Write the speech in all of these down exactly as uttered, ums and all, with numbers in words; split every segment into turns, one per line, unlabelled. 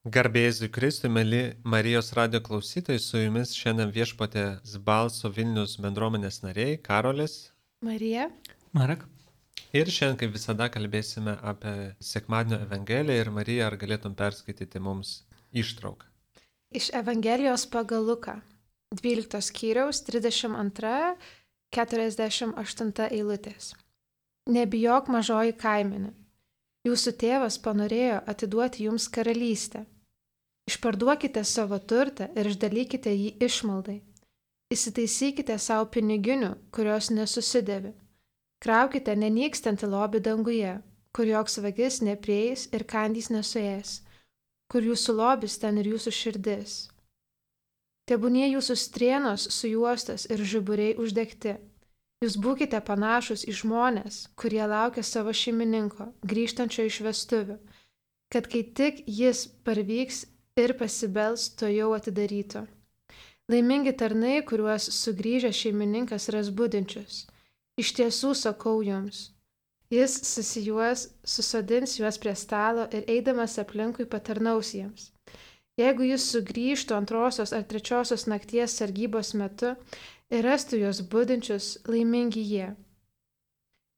Garbėzui Kristui, mėly Marijos radio klausytojai, su jumis šiandien viešpatės balso Vilnius bendruomenės nariai Karolis.
Marija.
Marek.
Ir šiandien, kaip visada, kalbėsime apie Sekmadienio Evangeliją ir Marija, ar galėtum perskaityti mums ištrauką.
Iš Evangelijos pagal Luką, dvyliktos skyriaus trisdešimt antra keturiasdešimt aštunta eilutės. Nebijok, mažoji kaimenė. Jūsų tėvas panorėjo atiduoti jums karalystę. Išparduokite savo turtą ir išdalykite jį išmaldai. Įsitaisykite savo piniginių, kurios nesusidėvi. Kraukite nenykstantį lobį danguje, kur joks vagis neprieis ir kandys nesuės, kur jūsų lobis ten ir jūsų širdis. Tebūnie jūsų strėnos sujuostos ir žiburiai uždegti. Jūs būkite panašus į žmonės, kurie laukia savo šeimininko, grįžtančio iš vestuvių, kad kai tik jis parvyks ir pasibels, to jau atidarytų. Laimingi tarnai, kuriuos sugrįžęs šeimininkas ras budinčius. Iš tiesų sakau jums, jis susijuos, susodins juos prie stalo ir eidamas aplinkui patarnaus jiems. Jeigu jis sugrįžtų antrosios ar trečiosios nakties sargybos metu ir rastų juos budinčius, laimingi jie.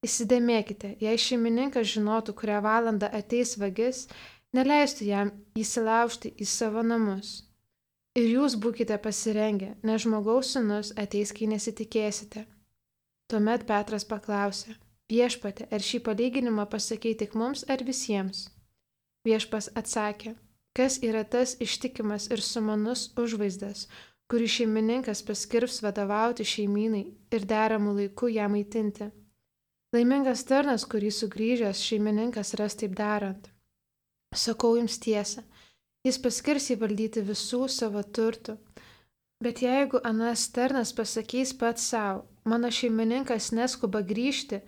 Įsidėmėkite, jei šeimininkas žinotų, kurią valandą ateis vagis, neleistų jam įsilaužti į savo namus. Ir jūs būkite pasirengę, nes žmogaus sūnus ateis, kai nesitikėsite. Tuomet Petras paklausė, viešpatie, ar šį palyginimą pasakei tik mums ar visiems? Viešpas atsakė, kas yra tas ištikimas ir sumanus užvaizdas, kurį šeimininkas paskirs vadovauti šeimynai ir deramų laiku ją maitinti. Laimingas tarnas, kurį sugrįžęs šeimininkas ras taip darant. Sakau jums tiesą, jis paskirs įvaldyti visų savo turtų. Bet jeigu anas tarnas pasakys pats savo, mano šeimininkas neskuba grįžti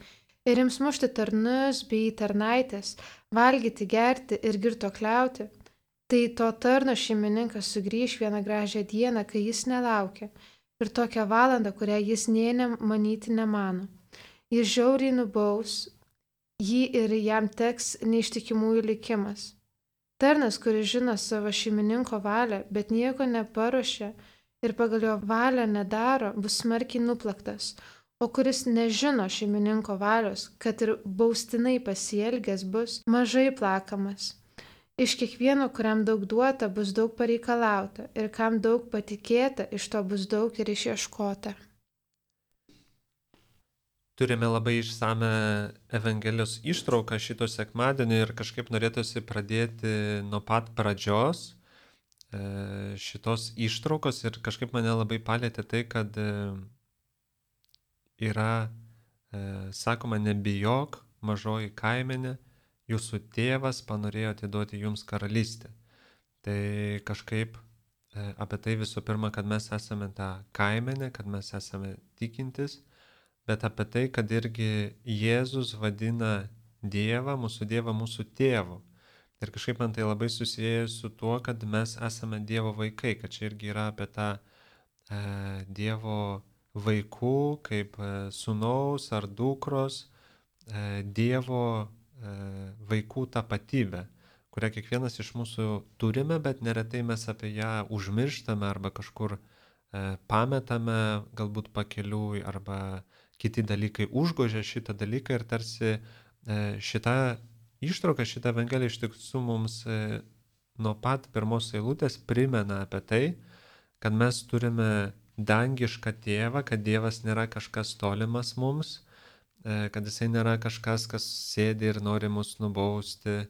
ir ims mušti tarnus bei tarnaitės, valgyti, gerti ir girtuokliauti, tai to tarno šeimininkas sugrįž vieną gražią dieną, kai jis nelaukia, ir tokią valandą, kurią jis nė manyti nemano. Jis žiauriai nubaus jį ir jam teks neištikimųjų likimas. Tarnas, kuris žino savo šeimininko valią, bet nieko neparuošia ir pagal jo valią nedaro, bus smarkiai nuplaktas, o kuris nežino šeimininko valios, kad ir baustinai pasielgęs bus mažai plakamas. Iš kiekvieno, kuriam daug duota, bus daug pareikalauta, ir kam daug patikėta, iš to bus daug ir išieškota.
Turime labai išsame Evangelijos ištrauką šito sekmadienio ir kažkaip norėtųsi pradėti nuo pat pradžios šitos ištraukos ir kažkaip mane labai palėtė tai, kad yra, sakoma, nebijok, mažoji kaimenė, jūsų tėvas panorėjo atiduoti jums karalystę. Tai kažkaip apie tai visų pirma, kad mes esame ta kaimenė, kad mes esame tikintis, bet apie tai, kad irgi Jėzus vadina Dievą, mūsų Dievą, mūsų tėvu. Ir kažkaip man tai labai susiję su tuo, kad mes esame Dievo vaikai, kad čia irgi yra apie tą e, Dievo vaikų, kaip e, sūnaus ar dukros, e, Dievo e, vaikų tapatybę, kurią kiekvienas iš mūsų turime, bet neretai mes apie ją užmirštame arba kažkur e, pametame, galbūt pakeliui, arba kiti dalykai užgožia šitą dalyką ir tarsi e, šitą ištrauka, šitą Evangeliją iš tiesų mums e, nuo pat pirmos eilutės primena apie tai, kad mes turime dangišką tėvą, kad Dievas nėra kažkas tolimas mums, e, kad jisai nėra kažkas, kas sėdi ir nori mus nubausti,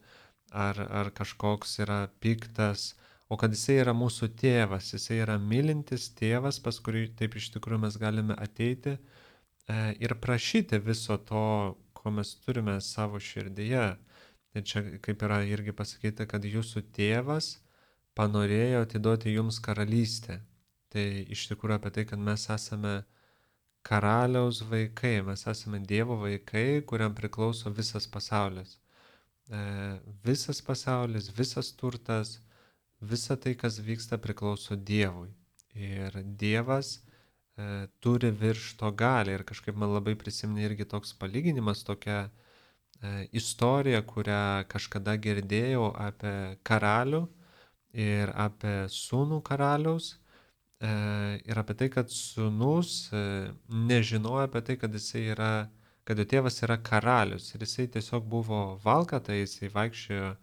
ar, ar kažkoks yra piktas, o kad jisai yra mūsų tėvas, jisai yra mylintis tėvas, pas kurį taip iš tikrųjų mes galime ateiti e, ir prašyti viso to, ko mes turime savo širdyje. Ir čia kaip yra irgi pasakyta, kad jūsų tėvas panorėjo atiduoti jums karalystę. Tai iš tikrųjų apie tai, kad mes esame karaliaus vaikai, mes esame Dievo vaikai, kuriam priklauso visas pasaulis. E, visas pasaulis, visas turtas, visa tai, kas vyksta, priklauso Dievui. Ir Dievas e, turi virš to galią. Ir kažkaip man labai prisiminė irgi toks palyginimas, tokia istoriją, kurią kažkada girdėjau apie karalių, ir apie sūnų karaliaus, e, ir apie tai, kad sūnus e, nežinojo apie tai, kad jisai yra, kad jo tėvas yra karalius. Ir jisai tiesiog buvo valkata, jisai vaikščiojo e,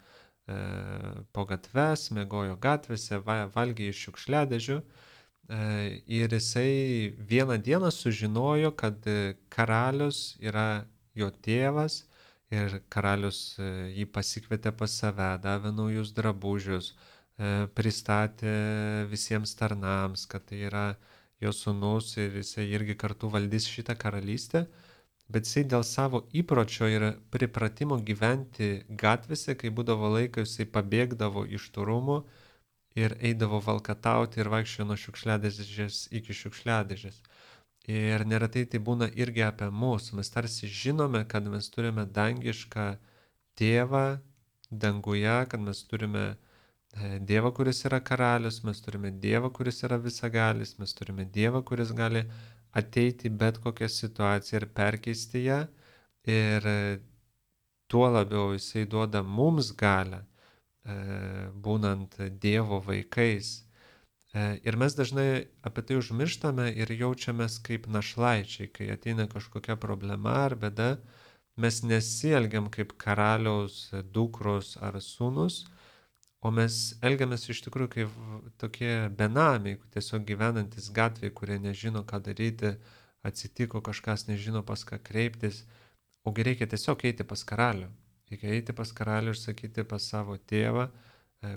po gatves, miegojo gatvėse, va, valgė iš šiukšliadėžių. E, ir jisai vieną dieną sužinojo, kad karalius yra jo tėvas, ir karalius e, jį pasikvietė pas save, davė naujus drabužius, e, pristatė visiems tarnams, kad tai yra jo sūnus ir jisai irgi kartu valdys šitą karalystę. Bet jisai dėl savo įpročio ir pripratimo gyventi gatvėse, kai būdavo laikas, jisai pabėgdavo iš tų rūmų ir eidavo valkatauti ir vaikščiojo nuo šiukšliadėžės iki šiukšliadėžės. Ir neretai tai būna irgi apie mus. Mes tarsi žinome, kad mes turime dangišką tėvą danguje, kad mes turime Dievą, kuris yra karalius, mes turime Dievą, kuris yra visagalis, mes turime Dievą, kuris gali ateiti bet kokią situaciją ir perkeisti ją. Ir tuo labiau jisai duoda mums galią, būnant Dievo vaikais. Ir mes dažnai apie tai užmirštame ir jaučiamės kaip našlaičiai, kai ateina kažkokia problema ar bėda, mes nesielgiam kaip karaliaus dukros ar sūnus, o mes elgiamės iš tikrųjų kaip tokie benamiai, tiesiog gyvenantis gatvėje, kurie nežino, ką daryti, atsitiko kažkas, nežino pas ką kreiptis, ogi reikia tiesiog eiti pas karalių. Reikia eiti pas karalių ir sakyti pas savo tėvą,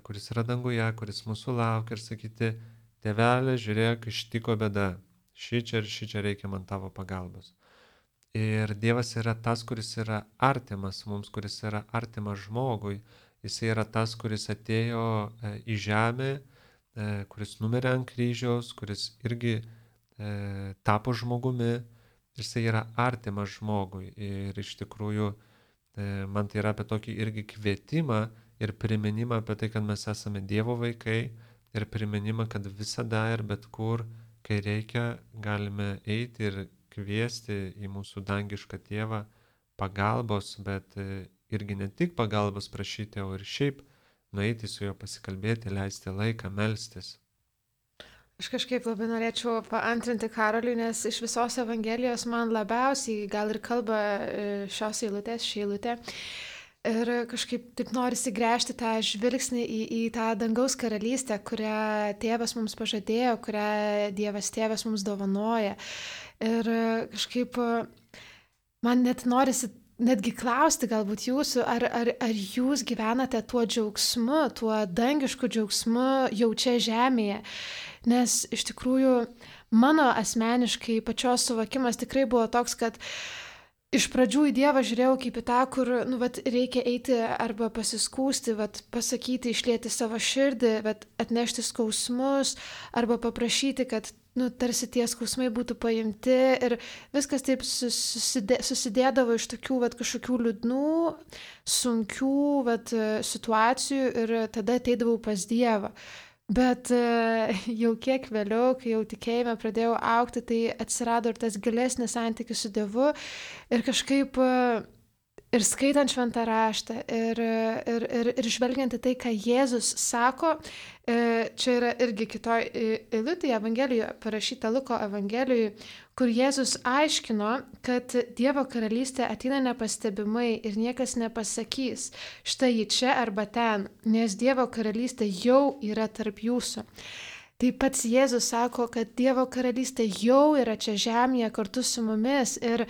kuris yra danguje, kuris mūsų laukia, ir sakyti: tėvelė, žiūrėk, ištiko bėda, šičia ir šičia reikia man tavo pagalbos. Ir Dievas yra tas, kuris yra artimas mums, kuris yra artimas žmogui. Jis yra tas, kuris atėjo į žemę, kuris numirė ant kryžiaus, kuris irgi e, tapo žmogumi. Jis yra artimas žmogui. Ir iš tikrųjų e, man tai yra apie tokį irgi kvietimą ir priminimą apie tai, kad mes esame Dievo vaikai, ir priminimą, kad visada ir bet kur, kai reikia, galime eiti ir kviesti į mūsų dangišką tėvą pagalbos, bet irgi ne tik pagalbos prašyti, o ir šiaip nueiti su juo pasikalbėti, leisti laiką, melstis.
Aš kažkaip labai norėčiau paantrinti Karoliui, nes iš visos Evangelijos man labiausiai gal ir kalba šios eilutės, ši eilutė. Ir kažkaip taip norisi gręžti tą žvilgsnį į, į tą dangaus karalystę, kurią tėvas mums pažadėjo, kurią Dievas tėvas mums dovanoja. Ir kažkaip man net norisi netgi klausti galbūt jūsų, ar, ar, ar jūs gyvenate tuo džiaugsmu, tuo dangišku džiaugsmu jau čia žemėje. Nes iš tikrųjų mano asmeniškai pačios suvokimas tikrai buvo toks, kad iš pradžių į Dievą žiūrėjau kaip į tą, kur nu, vat, reikia eiti arba pasiskūsti, vat, pasakyti, išlieti savo širdį, vat, atnešti skausmus arba paprašyti, kad nu, tarsi tie skausmai būtų paimti, ir viskas taip susidė, susidėdavo iš tokių vat, kažkokių liūdnų, sunkių vat, situacijų, ir tada ateidavau pas Dievą. Bet jau kiek vėliau, kai jau tikėjime pradėjau augti, tai atsirado ir tas gilesnis santykis su Dievu, ir kažkaip ir skaitant šventą raštą, ir, ir, ir, ir žvelgiant į tai, ką Jėzus sako, čia yra irgi kitoj eilutėje Evangelijoje, parašyta Luko Evangelijoje, kur Jėzus aiškino, kad Dievo karalystė ateina nepastebimai ir niekas nepasakys, štai ji čia arba ten, nes Dievo karalystė jau yra tarp jūsų. Tai pats Jėzus sako, kad Dievo karalystė jau yra čia žemėje kartu su mumis, ir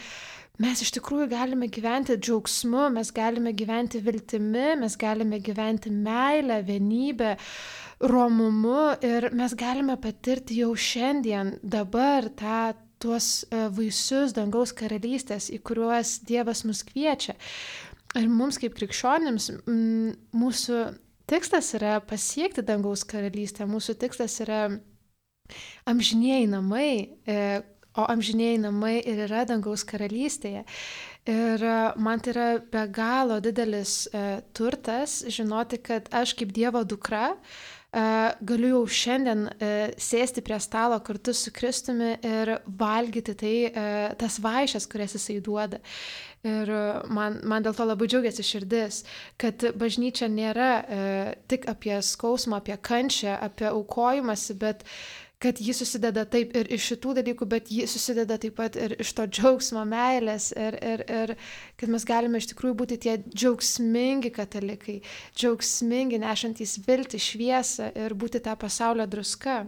mes iš tikrųjų galime gyventi džiaugsmu, mes galime gyventi viltimi, mes galime gyventi meilę, vienybę, romumu, ir mes galime patirti jau šiandien, dabar tą tuos vaisius dangaus karalystės, į kuriuos Dievas mus kviečia. Ir mums kaip krikščionims mūsų tikslas yra pasiekti dangaus karalystę, mūsų tikslas yra amžinieji namai, o amžinieji namai ir yra dangaus karalystėje. Ir e, man tai yra be galo didelis e, turtas žinoti, kad aš kaip Dievo dukra e, galiu jau šiandien e, sėsti prie stalo kartu su Kristumi ir valgyti tai, e, tas vaišes, kurias jisai duoda. Ir e, man, man dėl to labai džiaugiasi širdis, kad bažnyčia nėra e, tik apie skausmą, apie kančią, apie aukojimąsi, bet kad ji susideda taip ir iš šitų dalykų, bet ji susideda taip pat ir iš to džiaugsmo, meilės ir, ir, ir kad mes galime iš tikrųjų būti tie džiaugsmingi katalikai, džiaugsmingi, nešantys viltį, šviesą ir būti tą pasaulio druska.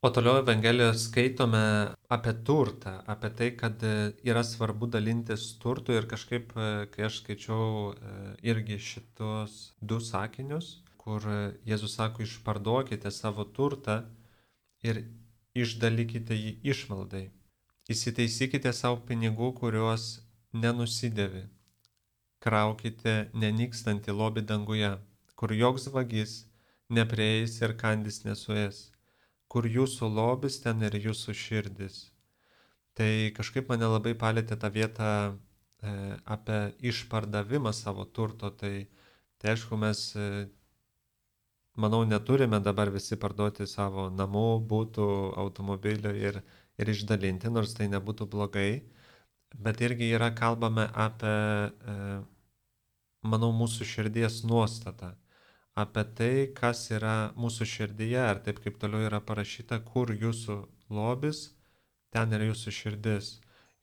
O toliau Evangelijoje skaitome apie turtą, apie tai, kad e, yra svarbu dalintis turtu ir kažkaip, e, kai aš skaičiau e, irgi šitos du sakinius, kur e, Jėzus sako, išparduokite savo turtą ir išdalykite jį išmaldai. Įsitaisykite savo pinigų, kuriuos nenusidėvi. Kraukite nenykstantį lobį danguje, kur joks vagis neprieis ir kandis nesuės. Kur jūsų lobis, ten ir jūsų širdis. Tai kažkaip mane labai palėtė tą vietą e, apie išpardavimą savo turto. Tai, tai aišku, mes, e, manau, neturime dabar visi parduoti savo namų, būtų, automobilių ir, ir išdalinti, nors tai nebūtų blogai. Bet irgi yra kalbame apie, e, manau, mūsų širdies nuostatą. Apie tai, kas yra mūsų širdyje, ar taip kaip toliau yra parašyta, kur jūsų lobis, ten yra jūsų širdis.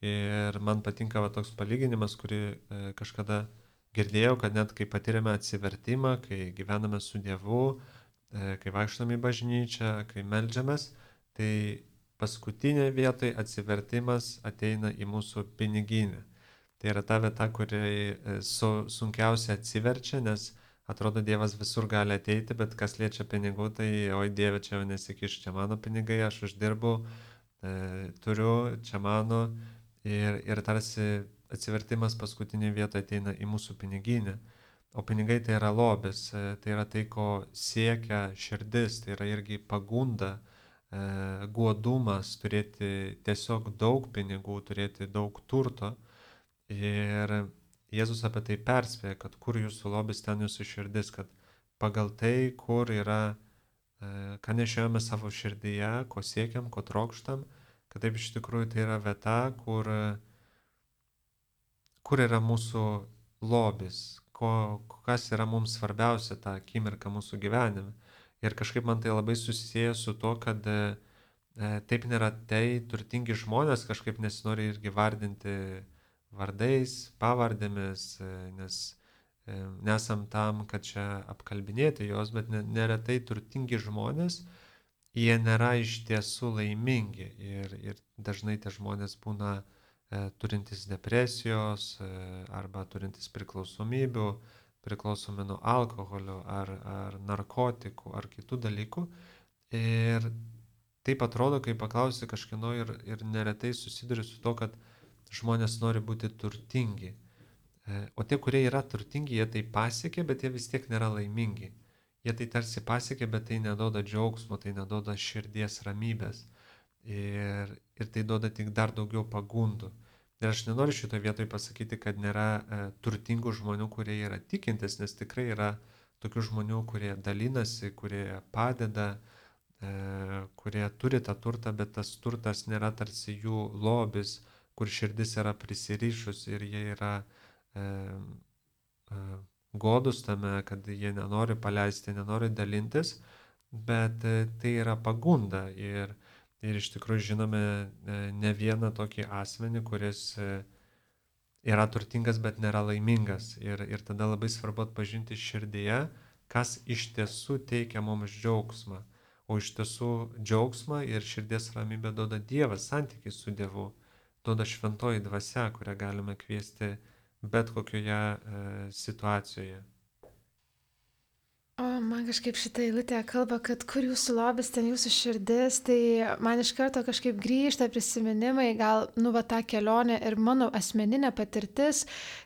Ir man patinka va, toks palyginimas, kurį e, kažkada girdėjau, kad net kai patiriame atsivertimą, kai gyvename su Dievu, e, kai vaikštame į bažnyčią, kai meldžiamės, tai paskutinėje vietoje atsivertimas ateina į mūsų piniginę. Tai yra ta vieta, kuri e, su, sunkiausiai atsiverčia, nes atrodo, Dievas visur gali ateiti, bet kas liečia pinigų, tai oi Dieve, čia jau nesikiš, čia mano pinigai, aš uždirbu, e, turiu, čia mano. Ir, ir tarsi atsivertimas paskutinėje vietoje ateina į mūsų piniginę. O pinigai tai yra lobis, e, tai yra tai, ko siekia širdis, tai yra irgi pagunda, e, godumas, turėti tiesiog daug pinigų, turėti daug turto. Ir Jėzus apie tai perspėja, kad kur jūsų lobis, ten jūsų širdis, kad pagal tai, kur yra, ką nešiojame savo širdyje, ko siekiam, ko trokštam, kad taip iš tikrųjų tai yra vieta, kur, kur yra mūsų lobis, ko, kas yra mums svarbiausia tą akimirką mūsų gyvenime. Ir kažkaip man tai labai susisieja su to, kad e, taip nėra tai turtingi žmonės kažkaip nesinori irgi vardinti vardais, pavardėmis, nes nesam tam, kad čia apkalbinėti jos, bet neretai turtingi žmonės, jie nėra iš tiesų laimingi ir, ir dažnai tie žmonės būna e, turintis depresijos e, arba turintis priklausomybių, priklausomi nuo alkoholio ar, ar narkotikų ar kitų dalykų. Ir taip atrodo, kai paklausi kažkieno ir, ir neretai susiduri su to, kad žmonės nori būti turtingi. O tie, kurie yra turtingi, jie tai pasiekė, bet jie vis tiek nėra laimingi. Jie tai tarsi pasiekė, bet tai neduoda džiaugsmo, tai neduoda širdies ramybės. Ir, ir tai duoda tik dar daugiau pagundų. Ir aš nenoriu šitoje vietoje pasakyti, kad nėra e, turtingų žmonių, kurie yra tikintis, nes tikrai yra tokių žmonių, kurie dalinasi, kurie padeda, e, kurie turi tą turtą, bet tas turtas nėra tarsi jų lobis, kur širdis yra prisirišus ir jie yra e, e, godus tame, kad jie nenori paleisti, nenori dalintis, bet e, tai yra pagunda. Ir, ir iš tikrųjų žinome e, ne vieną tokį asmenį, kuris e, yra turtingas, bet nėra laimingas. Ir, ir tada labai svarbu atpažinti širdyje, kas iš tiesų teikia mums džiaugsmą. O iš tiesų džiaugsmą ir širdies ramybę duoda Dievas, santykis su Dievu. Duoda šventoji dvasia, kurią galime kviesti bet kokioje e, situacijoje.
O man kažkaip šitą eilutę kalba, kad kur jūsų lobis, ten jūsų širdis, tai man iš karto kažkaip grįžta prisiminimai, gal, nu, va, tą kelionę ir mano asmeninė patirtis,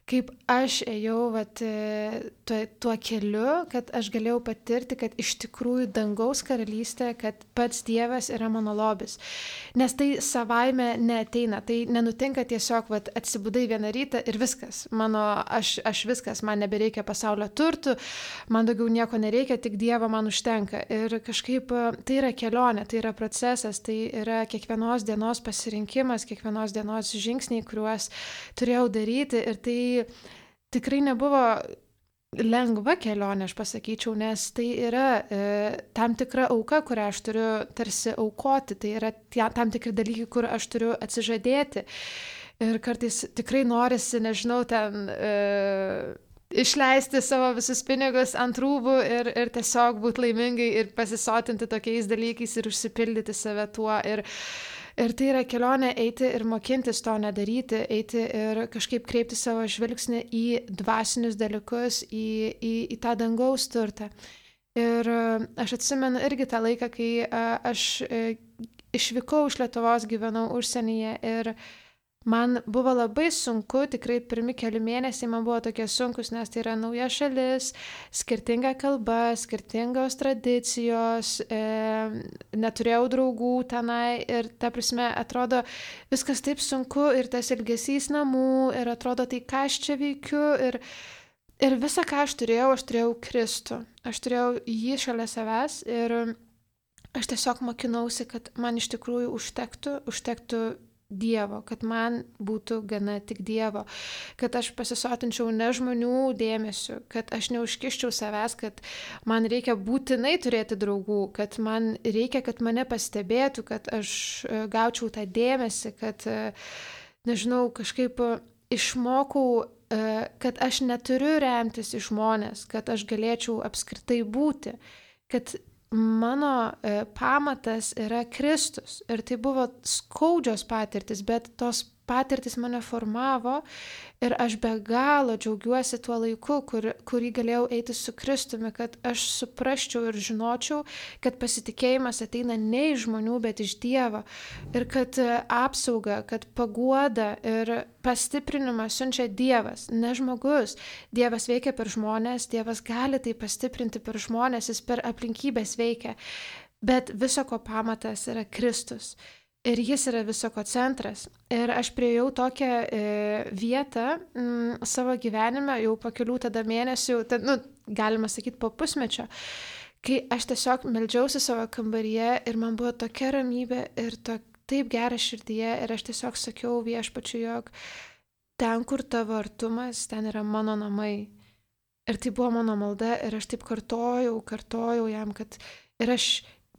kaip aš ėjau, va, tuo, tuo keliu, kad aš galėjau patirti, kad iš tikrųjų dangaus karalystė, kad pats Dievas yra mano lobis. Nes tai savaime neateina, tai nenutinka tiesiog, va, atsibudai vieną rytą ir viskas, mano, aš, aš viskas, man nebereikia pasaulio turtų, man daugiau nieko nereikia, tik Dievo man užtenka. Ir kažkaip tai yra kelionė, tai yra procesas, tai yra kiekvienos dienos pasirinkimas, kiekvienos dienos žingsniai, kuriuos turėjau daryti. Ir tai tikrai nebuvo lengva kelionė, aš pasakyčiau, nes tai yra e, tam tikra auka, kurią aš turiu tarsi aukoti, tai yra tie, tam tikri dalykai, kur aš turiu atsižadėti. Ir kartais tikrai norisi, nežinau, ten... E, išleisti savo visus pinigus ant rūbų ir, ir tiesiog būti laimingai ir pasisotinti tokiais dalykais ir užsipildyti save tuo. Ir, ir tai yra kelionė eiti ir mokintis to nedaryti, eiti ir kažkaip kreipti savo žvilgsnį į dvasinius dalykus, į, į, į tą dangaus turtą. Ir aš atsimenu irgi tą laiką, kai aš išvykau iš Lietuvos, gyvenau užsienyje ir man buvo labai sunku, tikrai pirmi keli mėnesiai man buvo tokie sunkus, nes tai yra nauja šalis, skirtinga kalba, skirtingos tradicijos, e, neturėjau draugų tenai ir ta prasme atrodo viskas taip sunku ir tas ilgesys namų ir atrodo tai ką aš čia veikiu ir, ir visą ką aš turėjau, aš turėjau Kristų, aš turėjau jį šalia savęs ir aš tiesiog mokinausi, kad man iš tikrųjų užtektų, užtektų Dievo, kad man būtų gana tik Dievo, kad aš pasisotinčiau ne žmonių dėmesiu, kad aš neužkiščiau savęs, kad man reikia būtinai turėti draugų, kad man reikia, kad mane pastebėtų, kad aš gaučiau tą dėmesį, kad, nežinau, kažkaip išmokau, kad aš neturiu remtis į žmonės, kad aš galėčiau apskritai būti, kad mano e, pamatas yra Kristus ir tai buvo skaudžios patirtis, bet tos patirtis mane formavo ir aš be galo džiaugiuosi tuo laiku, kur, kurį galėjau eiti su Kristumi, kad aš suprasčiau ir žinočiau, kad pasitikėjimas ateina ne iš žmonių, bet iš Dievo ir kad apsauga, kad paguoda ir pastiprinimą siunčia Dievas, ne žmogus. Dievas veikia per žmonės, Dievas gali tai pastiprinti per žmonės, jis per aplinkybės veikia, bet viso ko pamatas yra Kristus. Ir jis yra visoko centras. Ir aš priejau tokią e, vietą m, savo gyvenime, jau po kelių tada mėnesių, tad, nu, galima sakyti po pusmečio, kai aš tiesiog meldžiausi savo kambaryje ir man buvo tokia ramybė ir to, taip gera širdyje ir aš tiesiog sakiau Viešpačiui, jog ten, kur tavo artumas, ten yra mano namai. Ir tai buvo mano malda ir aš taip kartojau, kartojau jam, kad ir aš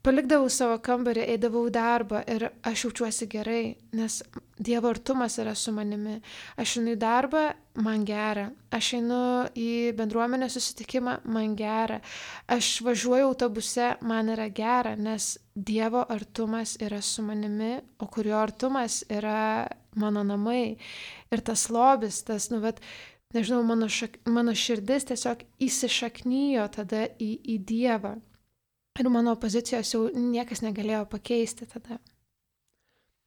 palikdavau savo kambarį, eidavau į darbą ir aš jaučiuosi gerai, nes Dievo artumas yra su manimi. Aš einu į darbą, man gera. Aš einu į bendruomenės susitikimą, man gera. Aš važiuoju autobuse, man yra gera, nes Dievo artumas yra su manimi, o kurio artumas yra mano namai. Ir tas lobis, tas, nu, vat, nežinau, mano, šak, mano širdis tiesiog įsišaknyjo tada į, į Dievą. Ir mano pozicijos jau niekas negalėjo pakeisti tada.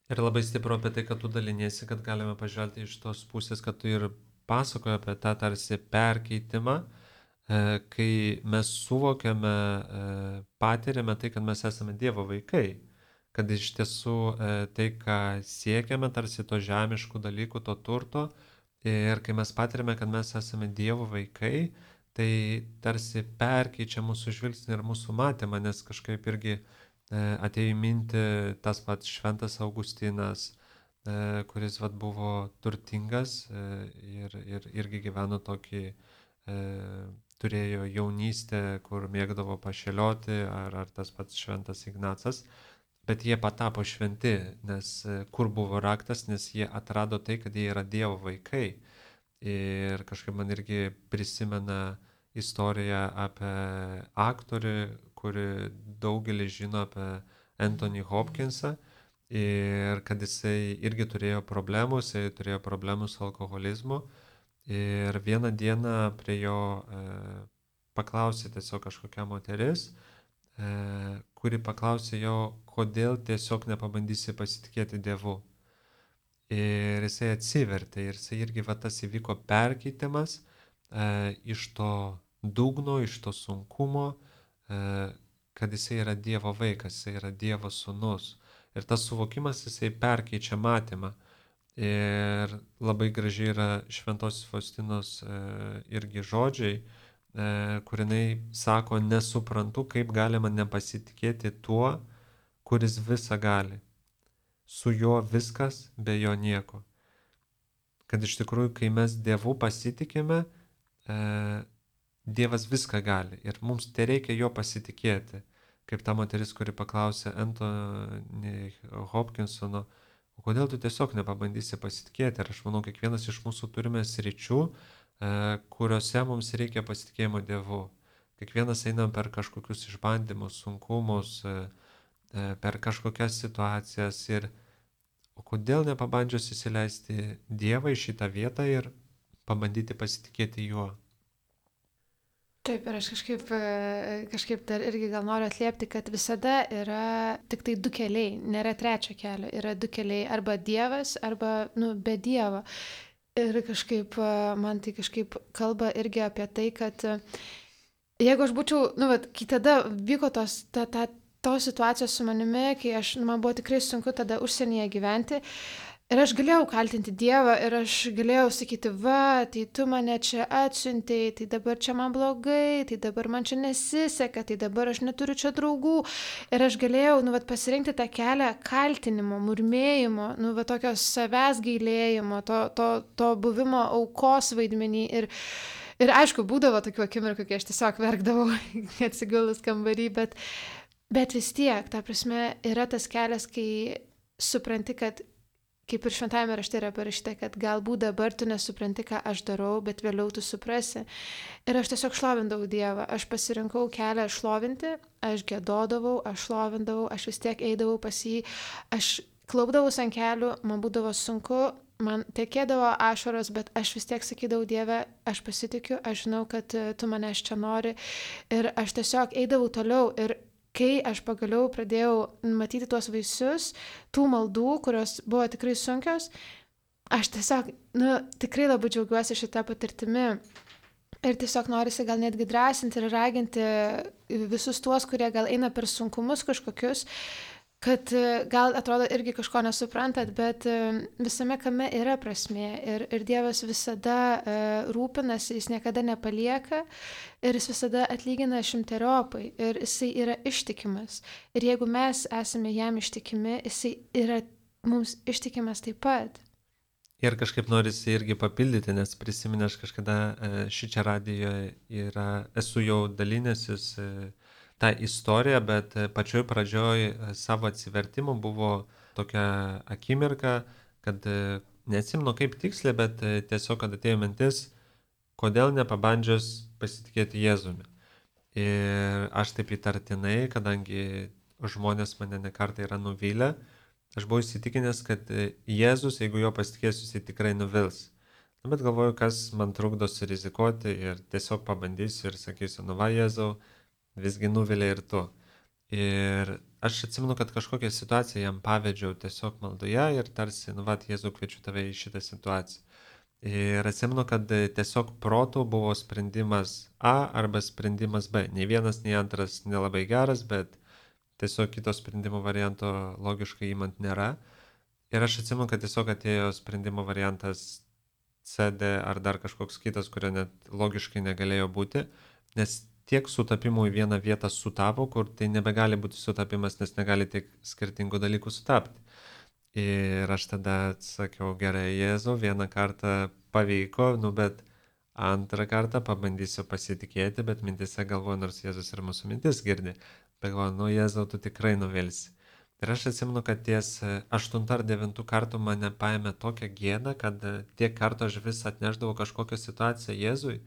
Ir labai stipru apie tai, kad tu daliniesi, kad galime pažvelgti iš tos pusės, kad tu ir pasakoji apie tą tarsi perkeitimą, kai mes suvokiame, patiriame tai, kad mes esame Dievo vaikai. Kad iš tiesų tai, ką siekiame, tarsi to žemiškų dalykų, to turto, ir kai mes patiriame, kad mes esame Dievo vaikai, tai tarsi perkeičia mūsų žvilgsnį ir mūsų matymą, nes kažkaip irgi e, atėjo į mintį tas pats Šventas Augustinas, e, kuris vat, buvo turtingas e, ir, ir irgi gyveno tokį, e, turėjo jaunystę, kur mėgdavo pašėlioti, ar, ar tas pats Šventas Ignacas, bet jie patapo šventi, nes e, kur buvo raktas, nes jie atrado tai, kad jie yra Dievo vaikai. Ir kažkaip man irgi prisimena istoriją apie aktorių, kuri daugelis žino apie Anthony Hopkinsą ir kad jisai irgi turėjo problemų, jisai turėjo problemų su alkoholizmu ir vieną dieną prie jo e, paklausė tiesiog kažkokia moteris, e, kuri paklausė jo, kodėl tiesiog nepabandysi pasitikėti Dievu. Ir jisai atsivertė ir jisai irgi va tas įvyko perkeitimas e, iš to dugno, iš to sunkumo, e, kad jisai yra Dievo vaikas, jisai yra Dievo sūnus. Ir tas suvokimas jisai perkeičia matymą. Ir labai gražiai yra Šventos Faustinos e, irgi žodžiai, e, kur jinai sako, nesuprantu, kaip galima nepasitikėti tuo, kuris visą gali. Su juo viskas, be jo nieko. Kad iš tikrųjų, kai mes Dievu pasitikime, e, Dievas viską gali ir mums tereikia jo pasitikėti. Kaip ta moteris, kuri paklausė Anthony Hopkinsono, o kodėl tu tiesiog nepabandysi pasitikėti? Ir aš manau, kiekvienas iš mūsų turime sričių, e, kuriuose mums reikia pasitikėjimo Dievu. Kiekvienas einam per kažkokius išbandymus, sunkumus, e, per kažkokias situacijas ir o kodėl nepabandžius įsileisti Dievą į šitą vietą ir pabandyti pasitikėti juo.
Taip, ir aš kažkaip, kažkaip dar irgi gal noriu atliepti, kad visada yra tik tai du keliai, nėra trečio kelio, yra du keliai, arba Dievas, arba nu, be Dievo. Ir kažkaip man tai kažkaip kalba irgi apie tai, kad jeigu aš būčiau, nu, vat, kai tada vyko tos, ta, ta, tos situacijos su manimi, kai aš, nu, man buvo tikrai sunku tada užsienyje gyventi, ir aš galėjau kaltinti Dievą, ir aš galėjau sakyti, va, tai tu mane čia atsiuntei, tai dabar čia man blogai, tai dabar man čia nesiseka, tai dabar aš neturiu čia draugų. Ir aš galėjau, nu, vat, pasirinkti tą kelią kaltinimo, murmėjimo, nu, va, tokios savęs gailėjimo, to, to, to buvimo aukos vaidmenį. Ir, ir aišku, būdavo tokių akimirkų, kai aš tiesiog verkdavau atsigulus kambarį, bet, bet vis tiek, ta prasme, yra tas kelias, kai supranti, kad kaip ir šventajame rašte yra parašyta, kad galbūt dabar tu nesupranti, ką aš darau, bet vėliau tu suprasi. Ir aš tiesiog šlovindavau Dievą. Aš pasirinkau kelią šlovinti, aš gėdodavau, aš šlovindavau, aš vis tiek eidavau pas jį, aš klaupdavau ant kelių, man būdavo sunku, man tekėdavo ašaros, bet aš vis tiek sakydavau, Dieve, aš pasitikiu, aš žinau, kad tu manęs čia nori. Ir aš tiesiog eidavau toliau. Ir kai aš pagaliau pradėjau matyti tuos vaisius, tų maldų, kurios buvo tikrai sunkios, aš tiesiog, nu, tikrai labai džiaugiuosi šitą patirtimi. Ir tiesiog norisi gal netgi drąsinti ir raginti visus tuos, kurie gal eina per sunkumus kažkokius, kad gal atrodo irgi kažko nesuprantat, bet visame kame yra prasmė ir, ir Dievas visada uh, rūpinasi, jis niekada nepalieka ir jis visada atlygina šimteriopai ir jisai yra ištikimas. Ir jeigu mes esame jam ištikimi, jisai yra mums ištikimas taip pat.
Ir kažkaip norisi irgi papildyti, nes prisiminę aš kažkada šį čia radijoje yra, esu jau dalinęsis tą istoriją, bet pačioj pradžioj savo atsivertimų buvo tokia akimirka, kad neatsimenu kaip tiksliai, bet tiesiog, kad atėjo mintis, kodėl nepabandžius pasitikėti Jėzumi. Ir aš taip įtartinai, kadangi žmonės mane nekartą yra nuvylę, aš buvau įsitikinęs, kad Jėzus, jeigu jo pasitikėsiu, jis tikrai nuvils. Bet galvoju, kas man trukdo surizikuoti ir tiesiog pabandysiu ir sakysiu, nu va Jėzau, visgi nuvilė ir tu. Ir aš atsimenu, kad kažkokią situaciją jam pavedžiau tiesiog maldoje ir tarsi, nu va, Jėzau, kviečiu tave į šitą situaciją. Ir atsimenu, kad tiesiog protų buvo sprendimas A arba sprendimas B. Nei vienas, nei antras nelabai geras, bet tiesiog kito sprendimo varianto logiškai įmant nėra. Ir aš atsimenu, kad tiesiog atėjo sprendimo variantas C, D ar dar kažkoks kitas, kurio net logiškai negalėjo būti, nes tiek sutapimų į vieną vietą sutapo, kur tai nebegali būti sutapimas, nes negali tiek skirtingų dalykų sutapti. Ir aš tada sakiau, gerai, Jėzau, vieną kartą pavyko, nu bet antrą kartą pabandysiu pasitikėti, bet mintise galvoju, nors Jėzus ir mūsų mintis girdi, bet galvoju, nu Jėzau, tu tikrai nuvilsi. Ir aš atsimenu, kad ties aštuntų ar devintų kartų mane paėmė tokią gėdą, kad tiek kartų aš vis atneždavau kažkokią situaciją Jėzui,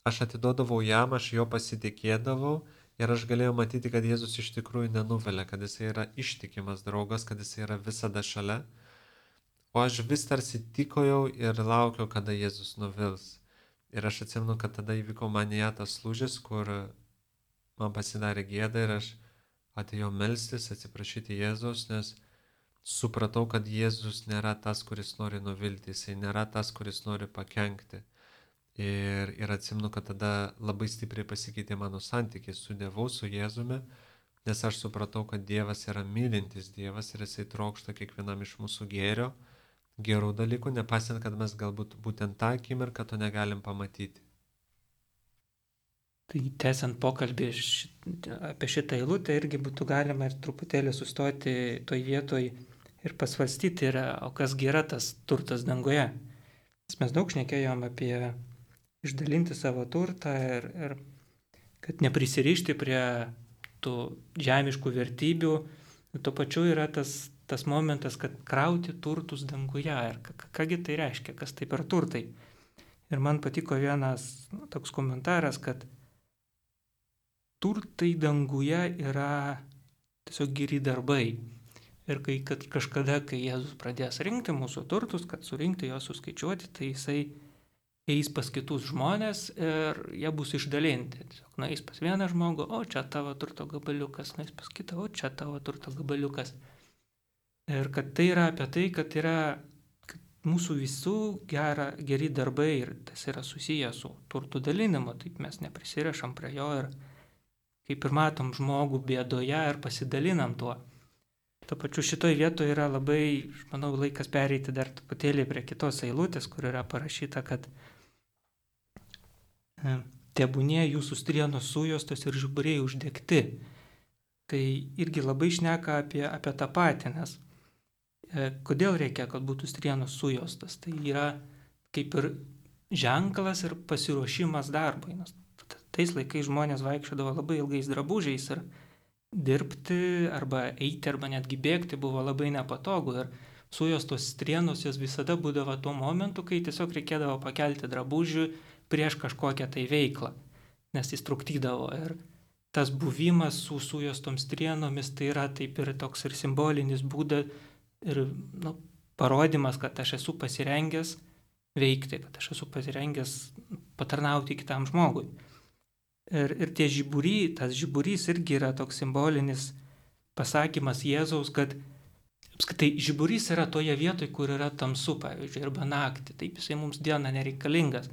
aš atiduodavau jam, aš jo pasitikėdavau ir aš galėjau matyti, kad Jėzus iš tikrųjų nenuvelia, kad jis yra ištikimas draugas, kad jis yra visada šalia. O aš vis tarsi tikojau ir laukiau, kada Jėzus nuvils. Ir aš atsimenu, kad tada įvyko manyje tas lūžis, kur man pasidarė gėda ir aš atėjau melstis, atsiprašyti Jėzus, nes supratau, kad Jėzus nėra tas, kuris nori nuvilti, jisai nėra tas, kuris nori pakenkti. Ir, ir atsimenu, kad tada labai stipriai pasikeitė mano santykis su Dievu, su Jėzumi, nes aš supratau, kad Dievas yra mylintis Dievas ir jisai trokšta kiekvienam iš mūsų gėrio, gerų dalykų, nepasiant, kad mes galbūt būtent tą akimirką to negalim pamatyti.
Tai tęsiant pokalbį šit, apie šitą eilutę, irgi būtų galima ir truputėlį sustoti toj vietoj ir pasvarstyti, yra, o kasgi yra tas turtas danguje. Mes daug šnekėjom apie išdalinti savo turtą ir, ir kad neprisirišti prie tų žemiškų vertybių. Ir tuo pačiu yra tas tas momentas, kad krauti turtus danguje. Ir kągi tai reiškia, kas tai per turtai. Ir man patiko vienas nu, toks komentaras, kad turtai danguje yra tiesiog geri darbai. Ir kai kad kažkada, kai Jėzus pradės rinkti mūsų turtus, kad surinkti juos, suskaičiuoti, tai jisai eis pas kitus žmonės ir jie bus išdalinti. Tiesiog nueis pas vieną žmogų, o čia tavo turto gabaliukas, nueis pas kitą, o čia tavo turto gabaliukas. Ir kad tai yra apie tai, kad yra kad mūsų visų gera, geri darbai ir tas yra susiję su turtų dalinimu, taip mes neprisirišam prie jo ir kaip ir matom žmogų bėdoje ir pasidalinam tuo. Tuo pačiu šitoj vietoje yra labai, aš manau, laikas pereiti dar truputėlį prie kitos eilutės, kur yra parašyta, kad tebūnie jūsų strienos sujostos ir žiburiai uždegti. Tai irgi labai šneka apie, apie tą patį, nes kodėl reikia, kad būtų strienos sujostas? Tai yra kaip ir ženklas ir pasiruošimas darbui. Nes tais laikais žmonės vaikščiodavo labai ilgais drabužiais ir dirbti arba eiti arba netgi bėgti buvo labai nepatogu. Ir sujostos strienos jos visada būdavo tuo momentu, kai tiesiog reikėdavo pakelti drabužių prieš kažkokią tai veiklą, nes jis trukdydavo. Ir tas buvimas su sujostom strienomis tai yra taip ir toks ir simbolinis būdas, ir nu, parodimas, kad aš esu pasirengęs veikti, kad aš esu pasirengęs patarnauti kitam žmogui. Ir, ir tie žiburys, tas žiburys irgi yra toks simbolinis pasakymas Jėzaus, kad apskritai žiburys yra toje vietoje, kur yra tamsu, pavyzdžiui, arba naktį. Taip jisai mums dieną nereikalingas.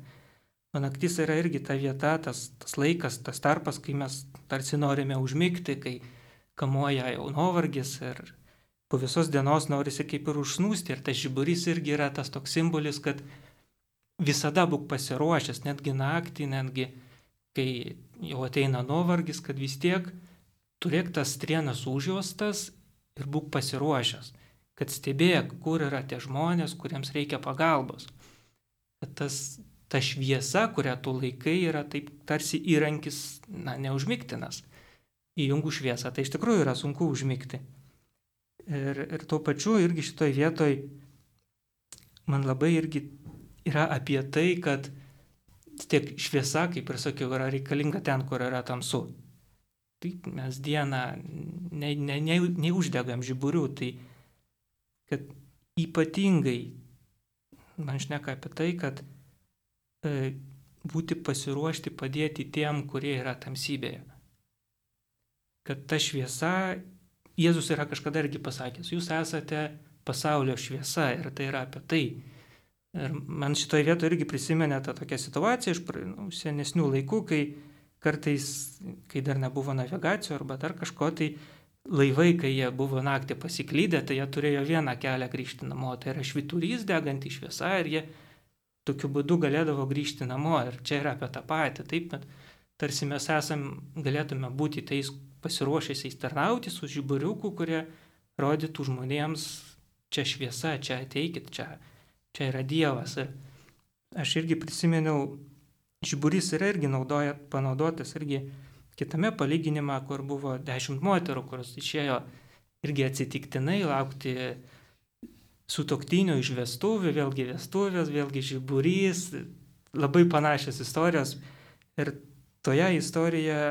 O naktis yra irgi ta vieta, tas, tas laikas, tas tarpas, kai mes tarsi norime užmigti, kai kamuoja jau nuovargis ir po visos dienos norisi kaip ir užsnūsti. Ir tas žiburys irgi yra tas toks simbolis, kad visada būk pasiruošęs, netgi naktį, netgi kai jau ateina nuovargis, kad vis tiek turėk tas strienas užjuostas ir būk pasiruošęs, kad stebėk, kur yra tie žmonės, kuriems reikia pagalbos. Kad tas, ta šviesa, kurią tu laikai, yra taip tarsi įrankis, na, neužmigtinas. Įjungus šviesą, tai iš tikrųjų yra sunku užmigti. Ir, ir tuo pačiu irgi šitoj vietoj man labai irgi yra apie tai, kad tiek šviesa, kaip ir sakiau, yra reikalinga ten, kur yra tamsu. Tai mes dieną ne, ne, ne, neuždegam žiburių, tai kad ypatingai man šneka apie tai, kad e, būti pasiruošti padėti tiem, kurie yra tamsybėje. Kad ta šviesa, Jėzus yra kažkada irgi pasakęs, jūs esate pasaulio šviesa ir tai yra apie tai. Ir man šitoje vietoje irgi prisimenė tą tokią situaciją iš nu, senesnių laikų, kai kartais, kai dar nebuvo navigacijų arba dar kažko, tai laivai, kai jie buvo naktį pasiklydę, tai jie turėjo vieną kelią grįžti namo, tai yra švyturys deganti šviesa ir jie tokiu būdu galėdavo grįžti namo. Ir čia yra apie tą patį, taip, bet tarsi mes esam, galėtume būti tais pasiruošęs tarnauti su žiburiuku, kurie rodytų žmonėms, čia šviesa, čia ateikit, čia, čia yra Dievas. Ir aš irgi prisiminiau, žiburys yra irgi naudoja, panaudotas irgi kitame palyginime, kur buvo dešimt moterų, kurios išėjo irgi atsitiktinai laukti sutuoktinio iš vestuvių, vėlgi vestuvės, vėlgi žiburys, labai panašios istorijos. Ir toje istorijoje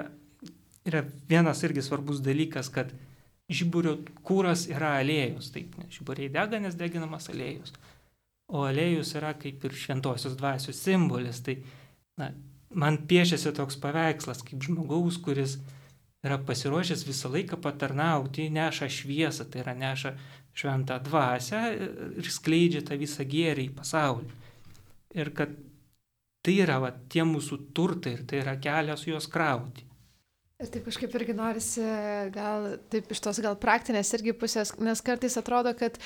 yra vienas irgi svarbus dalykas, kad žiburio kūras yra aliejus, taip, žiburiai dega, nes deginamas aliejus. O aliejus yra kaip ir šventosios dvasios simbolis, tai na, man piešiasi toks paveikslas, kaip žmogaus, kuris yra pasiruošęs visą laiką patarnauti, neša šviesą, tai yra neša šventą dvasią ir skleidžia tą visą gėrį į pasaulį. Ir kad tai yra va, tie mūsų turtai ir tai yra kelias juos krauti.
Ir taip kažkaip irgi norisi gal taip iš tos gal praktinės irgi pusės, nes kartais atrodo, kad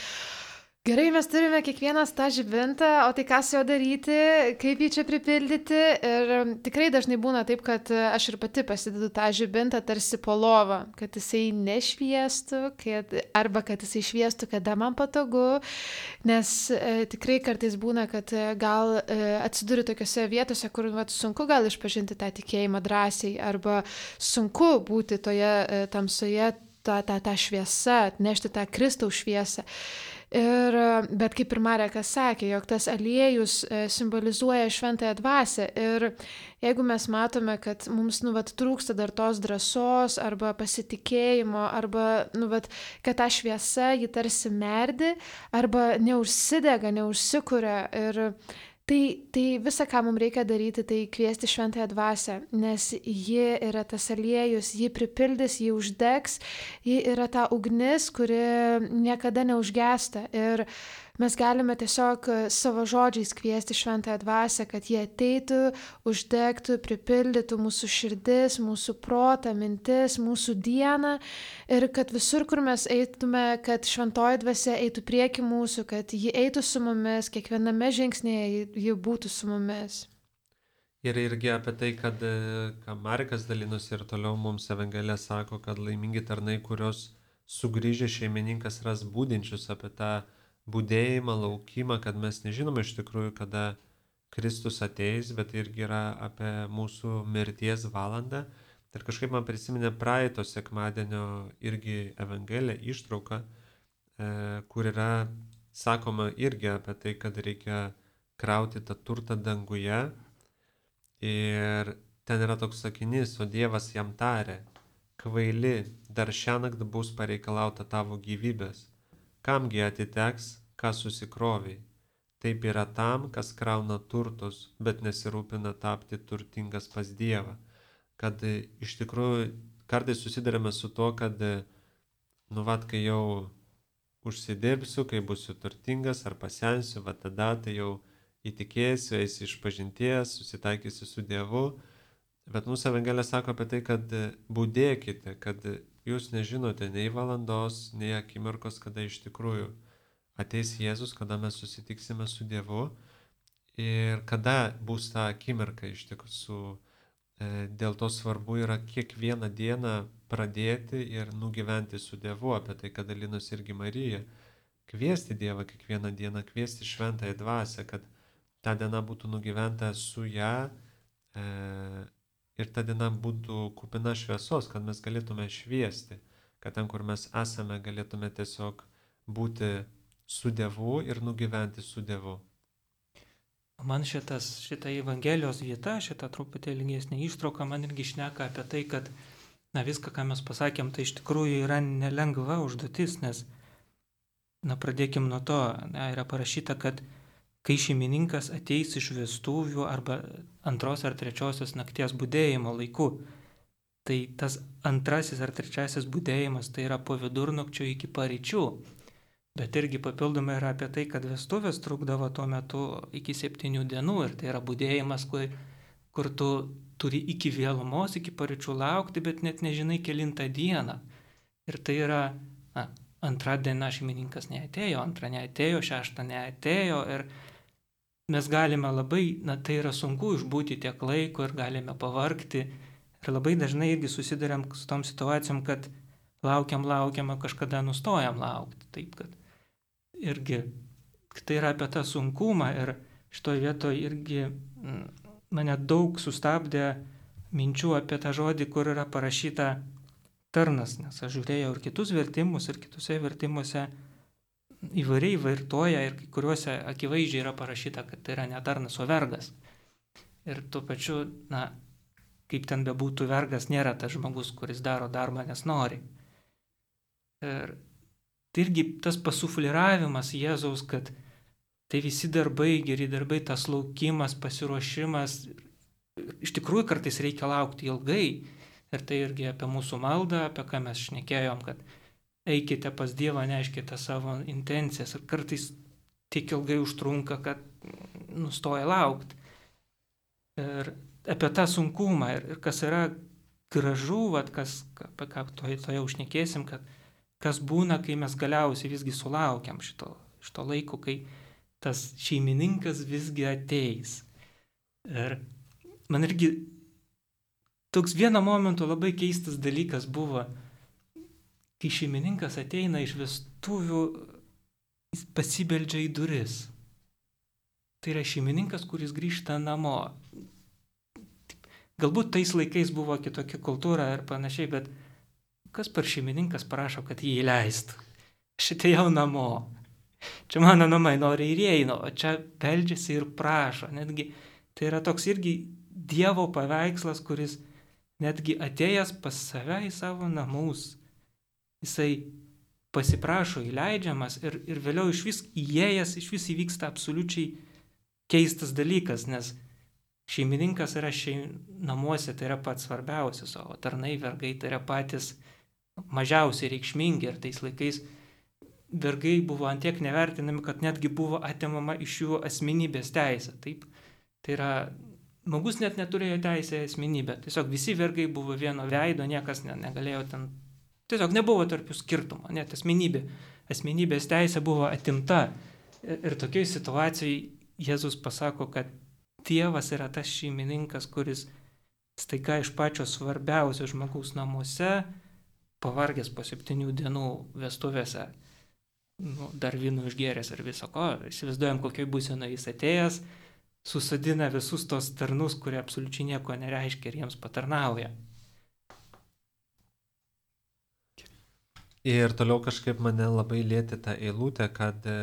gerai, mes turime kiekvienas tą žibintą, o tai ką su juo daryti, kaip jį čia pripildyti. Ir tikrai dažnai būna taip, kad aš ir pati pasidedu tą žibintą tarsi po lovą, kad jisai nešviestų, kad, arba kad jisai šviestų, kada man patogu. Nes e, tikrai kartais būna, kad gal e, atsiduri tokiose vietose, kur vat, sunku gal išpažinti tą tikėjimą drąsiai, arba sunku būti toje e, tamsoje, tą, tą, tą šviesą, atnešti tą Kristaus šviesą. Ir, bet kaip ir Marekas sakė, jog tas aliejus simbolizuoja šventąją dvasią ir jeigu mes matome, kad mums nu, vat, trūksta dar tos drąsos arba pasitikėjimo, arba nu, vat, kad ta šviesa jį tarsi merdi arba neužsidega, neužsikuria ir Tai, tai visa, ką mums reikia daryti, tai kviesti šventąją dvasią, nes ji yra tas aliejus, ji pripildys, ji uždegs, ji yra ta ugnis, kuri niekada neužgesta. Ir mes galime tiesiog savo žodžiais kviesti šventąją dvasią, kad jie ateitų, uždegtų, pripildytų mūsų širdis, mūsų protą, mintis, mūsų dieną ir kad visur, kur mes eitume, kad šventoji dvasia eitų prieki mūsų, kad ji eitų su mumis, kiekviename žingsnėje ji būtų su mumis.
Ir irgi apie tai, kad, ką Marekas dalinosi ir toliau mums Evangelija sako, kad laimingi tarnai, kurios sugrįžę šeimininkas ras būdinčius apie tą būdėjimą, laukimą, kad mes nežinome iš tikrųjų, kada Kristus ateis, bet irgi yra apie mūsų mirties valandą. Ir kažkaip man prisiminė praeito sekmadienio irgi Evangelija ištrauka, e, kur yra sakoma irgi apie tai, kad reikia krauti tą turtą danguje. Ir ten yra toks sakinys, o Dievas jam tarė, kvaili, dar šiąnakt bus pareikalauta tavo gyvybės. Kamgi atiteks, ką susikroviai. Taip yra tam, kas krauna turtus, bet nesirūpina tapti turtingas pas Dievą. Kad iš tikrųjų kartais susidarėme su to, kad, nu vat, kai jau užsidirbsiu, kai būsiu turtingas ar pasensiu, va tada tai jau įtikėsiu, eisiu iš pažinties, susitaikysiu su Dievu. Bet mūsų Evangelija sako apie tai, kad budėkite, kad jūs nežinote nei valandos, nei akimirkos, kada iš tikrųjų ateis Jėzus, kada mes susitiksime su Dievu ir kada bus ta akimirka iš tikrųjų. Dėl to svarbu yra kiekvieną dieną pradėti ir nugyventi su Dievu, apie tai, kad dalinosi irgi Marija. Kviesti Dievą kiekvieną dieną, kviesti šventąją dvasią, kad ta diena būtų nugyventa su ją e, ir ta diena būtų kupina šviesos, kad mes galėtume šviesti, kad ten, kur mes esame, galėtume tiesiog būti su Dievu ir nugyventi su Dievu.
Man šitas, šita Evangelijos vieta, šita truputėlį ilgesnė ištrauka, man irgi šneka apie tai, kad na, viską, ką mes pasakėm, tai iš tikrųjų yra nelengva užduotis, nes na, pradėkim nuo to, na, yra parašyta, kad kai šeimininkas ateis iš vestuvių arba antros ar trečiosios nakties budėjimo laiku, tai tas antrasis ar trečiasis budėjimas tai yra po vidurnakčio iki paryčių. Bet irgi papildomai yra apie tai, kad vestuvės trukdavo tuo metu iki septynių dienų ir tai yra budėjimas, kur, kur tu turi iki vėlumos, iki paryčių laukti, bet net nežinai kelintą dieną. Ir tai yra, na, antrą dieną šeimininkas neatėjo, antrą neatėjo, šeštą neatėjo ir mes galime labai, na tai yra sunku išbūti tiek laiko ir galime pavargti. Ir labai dažnai irgi susiduriam su tom situacijom, kad laukiam, laukiam, kažkada nustojam laukti. Taip, kad irgi tai yra apie tą sunkumą ir šitoje vietoje irgi mane daug sustabdė minčių apie tą žodį, kur yra parašyta tarnas, nes aš žiūrėjau ir kitus vertimus, ir kitose vertimuose įvairiai vartoja ir kai kuriuose akivaizdžiai yra parašyta, kad tai yra ne tarnas, o vergas. Ir tuo pačiu, na, kaip ten bebūtų, vergas nėra tas žmogus, kuris daro darbą, nes nori. Ir tai irgi tas pasufliravimas Jėzaus, kad tai visi darbai, geri darbai, tas laukimas, pasiruošimas, iš tikrųjų kartais reikia laukti ilgai. Ir tai irgi apie mūsų maldą, apie ką mes šnekėjom, kad eikite pas Dievą, neškite savo intencijas. Ir kartais tiek ilgai užtrunka, kad nustoja laukti. Ir apie tą sunkumą. Ir, ir kas yra gražu, vat, kas, apie ką toje to užnekėsim, kad kas būna, kai mes galiausiai visgi sulaukiam šito, šito laiko, kai tas šeimininkas visgi ateis. Ir man irgi toks vieno momento labai keistas dalykas buvo, kai šeimininkas ateina iš vestuvių, jis pasibeldžia į duris. Tai yra šeimininkas, kuris grįžta namo. Galbūt tais laikais buvo kitokia kultūra ir panašiai, bet kas per šeimininkas prašo, kad jį įleistų? Aš atėjau namo. Čia mano namai, nori ir įeina, o čia beldžiasi ir prašo. Netgi tai yra toks irgi Dievo paveikslas, kuris netgi atėjęs pas save į savo namus, jisai pasiprašo įleidžiamas ir, ir vėliau iš vis įėjęs, iš vis įvyksta absoliučiai keistas dalykas, nes šeimininkas yra šeim, namuose, tai yra pats svarbiausias, o tarnai, vergai tai yra patys mažiausiai reikšmingi ir tais laikais vergai buvo antiek nevertinami, kad netgi buvo atimama iš jų asmenybės teisė. Taip, tai yra, žmogus net neturėjo teisę į asmenybę. Tiesiog visi vergai buvo vieno veido, niekas ne, negalėjo ten, tiesiog nebuvo tarp jų skirtumo, net asmenybė. Asmenybės teisė buvo atimta. Ir, ir tokiai situacijai Jėzus pasako, kad Dievas yra tas šeimininkas, kuris staiga iš pačio svarbiausio žmogaus namuose, pavargęs po septynių dienų vestuvėse, nu, dar vynų išgėręs ir viso ko, įsivaizduojam, kokioj būsenoje jis atėjęs, susadina visus tos tarnus, kurie absoliučiai nieko nereiškia ir jiems patarnauja.
Ir toliau kažkaip mane labai lietė ta eilutė, kad e,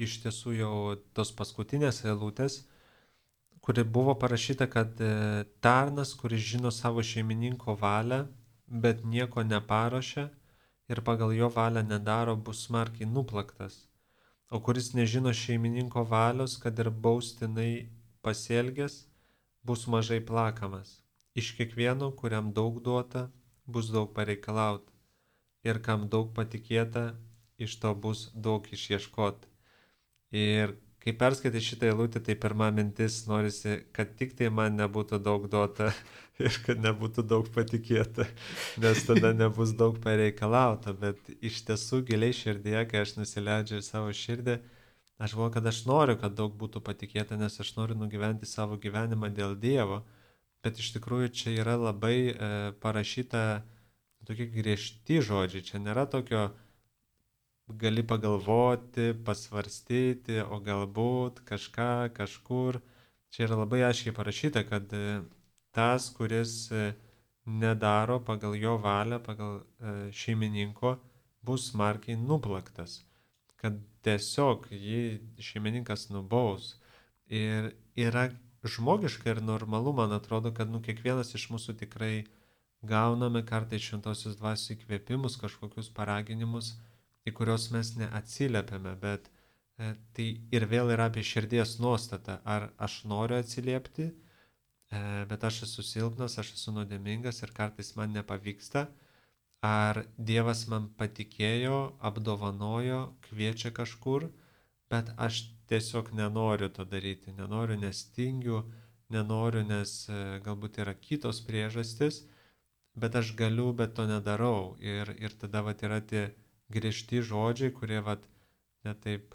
iš tiesų jau tos paskutinės eilutės, kuri buvo parašyta, kad e, tarnas, kuris žino savo šeimininko valią, bet nieko neparuošia ir pagal jo valią nedaro, bus smarkiai nuplaktas. O kuris nežino šeimininko valios, kad ir baustinai pasielgęs, bus mažai plakamas. Iš kiekvieno, kuriam daug duota, bus daug pareikalauta. Ir kam daug patikėta, iš to bus daug išieškota. Ir kai perskaitai šitą eilutę, tai pirma mintis norisi, kad tik tai man nebūtų daug duota ir kad nebūtų daug patikėta, nes tada nebus daug pareikalauta. Bet iš tiesų giliai širdėje, kai aš nusileidžiu į savo širdį, aš galvoju, kad aš noriu, kad daug būtų patikėta, nes aš noriu nugyventi savo gyvenimą dėl Dievo. Bet iš tikrųjų čia yra labai e, parašyta tokie griežti žodžiai. Čia nėra tokio gali pagalvoti, pasvarstyti, o galbūt kažką, kažkur. Čia yra labai aiškiai parašyta, kad tas, kuris nedaro pagal jo valią, pagal šeimininko, bus smarkiai nuplaktas. Kad tiesiog jį šeimininkas nubaus. Ir yra žmogiška ir normalu, man atrodo, kad nu, kiekvienas iš mūsų tikrai gauname kartais šventosios dvasios įkvėpimus, kažkokius paraginimus, į kurios mes neatsiliepiame, bet e, tai ir vėl yra apie širdies nuostatą. Ar aš noriu atsiliepti, e, bet aš esu silpnas, aš esu nuodėmingas ir kartais man nepavyksta. Ar Dievas man patikėjo, apdovanojo, kviečia kažkur, bet aš tiesiog nenoriu to daryti. Nenoriu, nes tingiu, nenoriu, nes e, galbūt yra kitos priežastis, bet aš galiu, bet to nedarau. Ir, ir tada vat yra tie griežti žodžiai, kurie vat netaip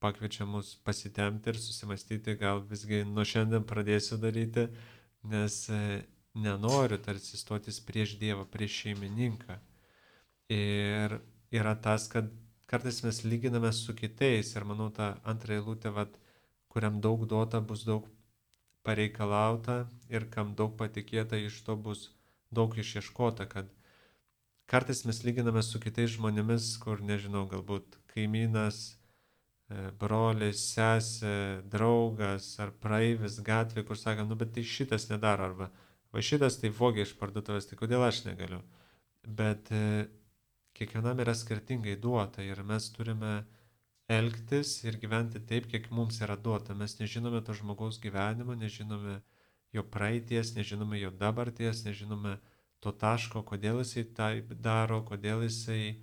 pakviečia mus pasitemti ir susimastyti, gal visgi nuo šiandien pradėsiu daryti, nes nenoriu tarsi stotis prieš Dievą, prieš šeimininką. Ir yra tas, kad kartais mes lyginame su kitais ir manau ta antra eilutė, vat, kuriam daug duota, bus daug pareikalauta ir kam daug patikėta, iš to bus daug išieškota, kad kartais mes lyginame su kitais žmonėmis, kur, nežinau, galbūt kaimynas, brolis, sesė, draugas ar praeivis gatvė, kur sako, nu bet tai šitas nedaro, arba va šitas tai vogia iš parduotuvės, tai kodėl aš negaliu. Bet e, kiekvienam yra skirtingai duota ir mes turime elgtis ir gyventi taip, kiek mums yra duota. Mes nežinome to žmogaus gyvenimo, nežinome jo praeities, nežinome jo dabarties, nežinome to taško, kodėl jisai taip daro, kodėl jisai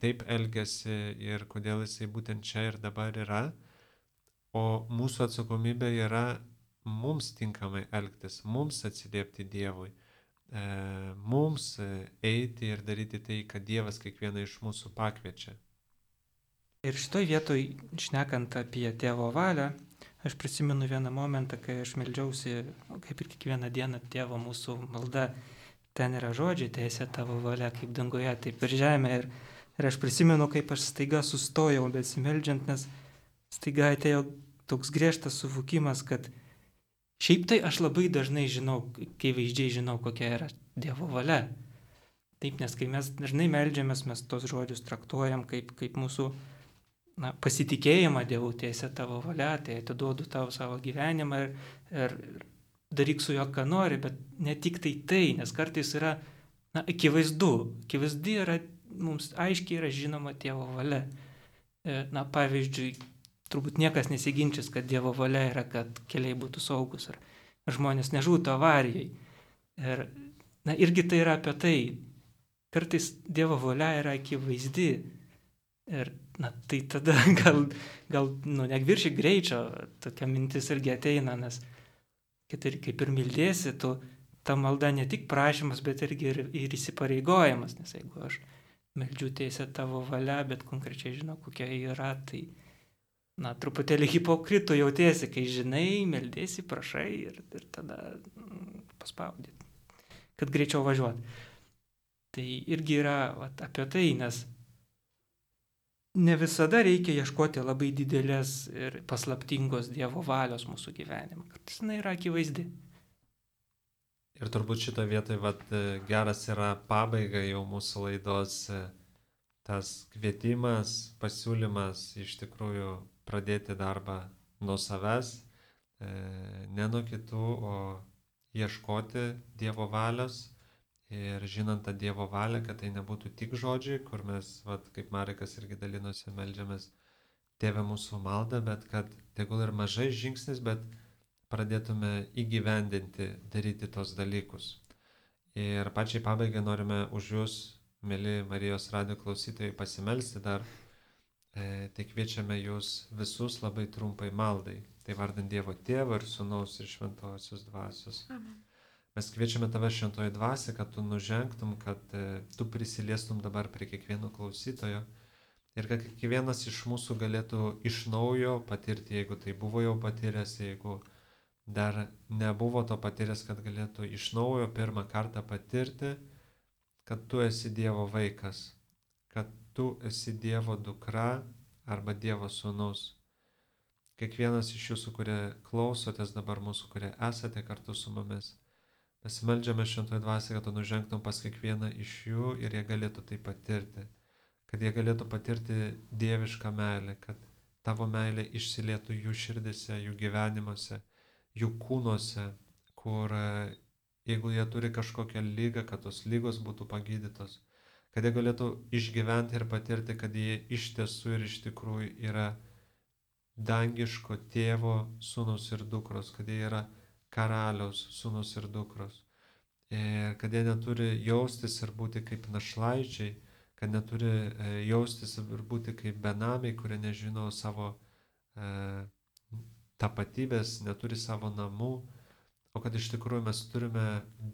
taip elgesi ir kodėl jisai būtent čia ir dabar yra. O mūsų atsakomybė yra mums tinkamai elgtis, mums atsiliepti Dievui, mums eiti ir daryti tai, kad Dievas kiekvieną iš mūsų pakviečia.
Ir šitoj vietoj, šnekant apie Tėvo valią, aš prisimenu vieną momentą, kai aš meldžiausi, kaip ir kiekvieną dieną, Tėvo mūsų malda, ten yra žodžiai, teisė tavo valia, kaip danguje, taip ir žemė. Ir, ir aš prisimenu, kaip aš staiga sustojau besimeldžiant, nes staiga atėjo toks griežtas suvokimas, kad šiaip tai aš labai dažnai žinau, kai vaizdžiai žinau, kokia yra Dievo valia. Taip, nes kai mes dažnai meldžiamės, mes tos žodžius traktuojam kaip, kaip mūsų na, pasitikėjimą Dievu, teisė tavo valia, tai atiduodu tau savo gyvenimą ir, ir daryk su juo, ką nori, bet ne tik tai tai, nes kartais yra na, akivaizdu, akivaizdi yra, mums aiškiai yra žinoma Dievo valia. Na, pavyzdžiui, turbūt niekas nesiginčys, kad Dievo valia yra, kad keliai būtų saugus ar žmonės nežūtų avarijai. Ir na, irgi tai yra apie tai. Kartais Dievo valia yra akivaizdi. Ir na, tai tada gal, gal nu, negviršyk greičio, tokia mintis irgi ateina, nes kad ir kaip ir mildėsi, tu, ta malda ne tik prašymas, bet irgi ir, ir įsipareigojimas, nes jeigu aš meldžiu teisę tavo valia, bet konkrečiai žinau, kokia yra, tai na, truputėlį hipokritų jautiesi, kai žinai, meldėsi, prašai ir, ir tada mm, paspaudė, kad greičiau važiuot. Tai irgi yra vat, apie tai, nes ne visada reikia ieškoti labai didelės ir paslaptingos Dievo valios mūsų gyvenime. Kartais jinai yra akivaizdi.
Ir turbūt šitą vietą vat, geras yra pabaiga jau mūsų laidos, tas kvietimas, pasiūlymas iš tikrųjų pradėti darbą nuo savęs, ne nuo kitų, o ieškoti Dievo valios. Ir žinant tą Dievo valią, kad tai nebūtų tik žodžiai, kur mes, vat, kaip Marekas irgi dalinosi, meldžiamės Tėve mūsų maldą, bet kad tegul ir mažais žingsnis, bet pradėtume įgyvendinti, daryti tos dalykus. Ir pačiai pabaigai norime už jūs, mėly Marijos radijo klausytojai, pasimelsti dar. E, tai kviečiame jūs visus labai trumpai maldai. Tai vardant Dievo Tėvo ir Sūnaus ir Šventosios Dvasios.
Amen.
Mes kviečiame tave Šventoji Dvasia, kad tu nužengtum, kad e, tu prisiliestum dabar prie kiekvieno klausytojo ir kad kiekvienas iš mūsų galėtų iš naujo patirti, jeigu tai buvo jau patyręs, jeigu dar nebuvo to patyręs, kad galėtų iš naujo pirmą kartą patirti, kad tu esi Dievo vaikas, kad tu esi Dievo dukra arba Dievo sūnus. Kiekvienas iš jūsų, kurie klausotės dabar mūsų, kurie esate kartu su mumis, mes meldžiame Šventoji Dvasia, kad tu nužengtum pas kiekvieną iš jų ir jie galėtų tai patirti. Kad jie galėtų patirti dievišką meilę, kad tavo meilė išsilietų jų širdise, jų gyvenimuose, jų kūnuose, kur jeigu jie turi kažkokią lygą, kad tos lygos būtų pagydytos. Kad jie galėtų išgyventi ir patirti, kad jie iš tiesų ir iš tikrųjų yra dangiško tėvo sūnus ir dukros, kad jie yra karaliaus sūnus ir dukros. Ir kad jie neturi jaustis ir būti kaip našlaičiai, kad neturi jaustis ir būti kaip benamiai, kurie nežino savo e, tapatybės, neturi savo namų, o kad iš tikrųjų mes turime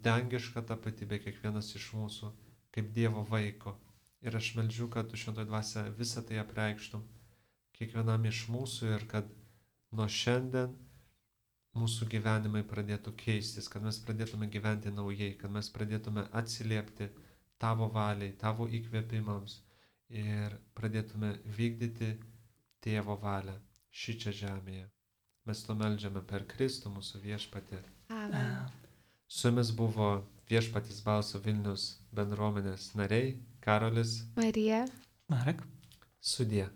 dangišką tapatybę kiekvienas iš mūsų kaip Dievo vaiko. Ir aš meldžiu, kad tu Šventoji Dvasia visą tai apreikštum kiekvienam iš mūsų ir kad nuo šiandien mūsų gyvenimai pradėtų keistis, kad mes pradėtume gyventi naujai, kad mes pradėtume atsiliepti tavo valiai, tavo įkvėpimams ir pradėtume vykdyti Tėvo valią šį čia žemėje. Mes to meldžiame per Kristų mūsų viešpatį.
Amen.
Su jumis buvo Viešpatis Balso Vilnius bendruomenės nariai Karolis,
Marija.
Marek.
Sudie.